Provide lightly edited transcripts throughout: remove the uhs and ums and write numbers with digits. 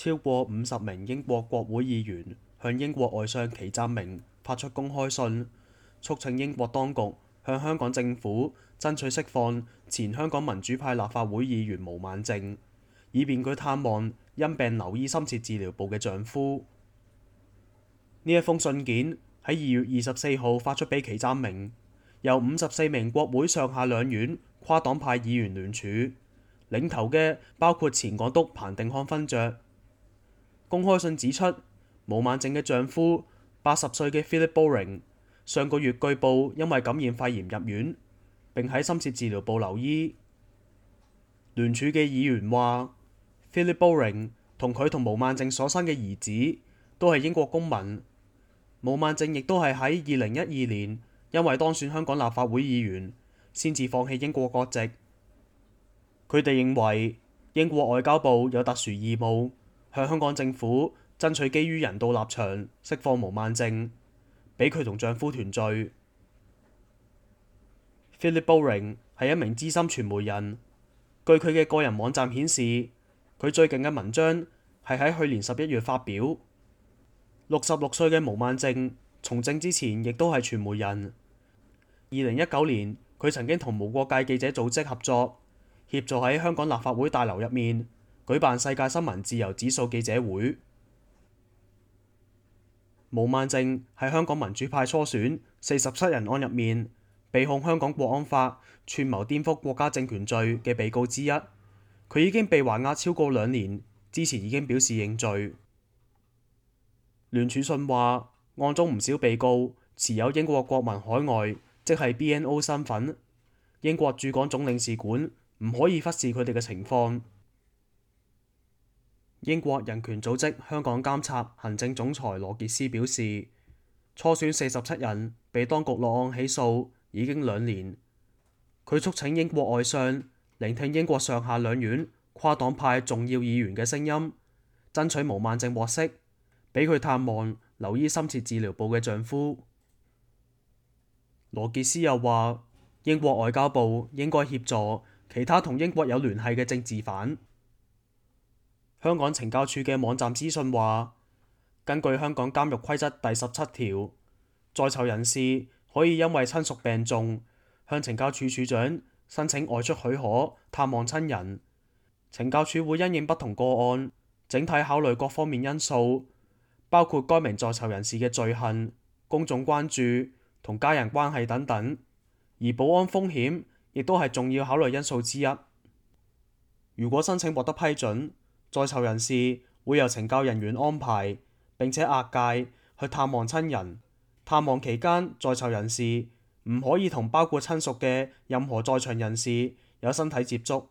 超過50名英國國會議員向英國外相祁湛明發出公開信，促請英國當局向香港政府爭取釋放前香港民主派立法會議員毛孟靜，以便佢探望因病留醫深切治療部嘅丈夫。呢一封信件喺2月24號發出俾祁湛明，由54名國會上下兩院跨黨派議員聯署，領頭嘅包括前港督彭定康勳爵。公開信指出，毛孟靜嘅丈夫80歲嘅 Philip Bowring 上個月據報因為感染肺炎入院，並喺深切治療部留醫。聯署嘅議員話 ，Philip Bowring 同佢同毛孟靜所生嘅兒子都係英國公民。毛孟靜亦都係喺2012年因為當選香港立法會議員，先至放棄英國國籍。佢哋認為英國外交部有特殊義務向香港政府爭取基於人道立場釋放毛孟靜，俾佢同丈夫團聚。Philip Bowring 係一名資深傳媒人，據佢嘅個人網站顯示，佢最近嘅文章係喺去年11月發表。66歲嘅毛孟靜從政之前亦都係傳媒人。2019年，佢曾經同無國界記者組織合作，協助喺香港立法會大樓入面舉辦世界新聞自由指數記者會。毛孟靜喺香港民主派初選47人案入面被控香港國安法串謀顛覆國家政權罪嘅被告之一。佢已經被還押超過2年，之前已經表示認罪。聯署信話，案中唔少被告持有英國國民海外，即係 BNO 身份，英國駐港總領事館唔可以忽視佢哋嘅情況。英國人權組織香港監察行政總裁羅傑斯表示，初選47人被當局落案起訴已經2年。佢促請英國外相聆聽英國上下兩院跨黨派重要議員嘅聲音，爭取毛孟靜獲釋，俾佢探望留醫深切治療部嘅丈夫。羅傑斯又話，英國外交部應該協助其他同英國有聯繫嘅政治犯。香港懲教署嘅網站資訊話，根據香港監獄規則第17條，在囚人士可以因為親屬病重，向懲教署署長申請外出許可探望親人。懲教署會因應不同個案，整體考慮各方面因素，包括該名在囚人士嘅罪行、公眾關注同家人關係等等，而保安風險亦都係重要考慮因素之一。如果申請獲得批准，在囚人士會由懲教人員安排並且押解去探望親人。探望期間，在囚人士唔可以同包括親屬嘅任何在場人士有身體接觸。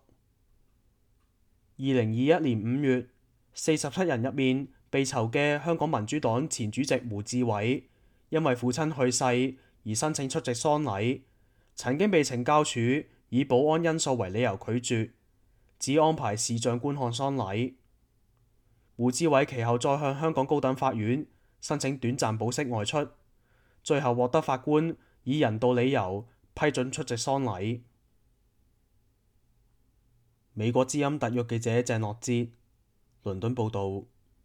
2021年5月，47人入面被囚嘅香港民主黨前主席胡志偉，因為父親去世而申請出席喪禮，曾經被懲教署以保安因素為理由拒絕，只安排視像觀看喪禮。胡志偉其後再向香港高等法院申請短暫保釋外出，最後獲得法官以人道理由批准出席喪禮。美國之音特約記者鄭樂哲，倫敦報導。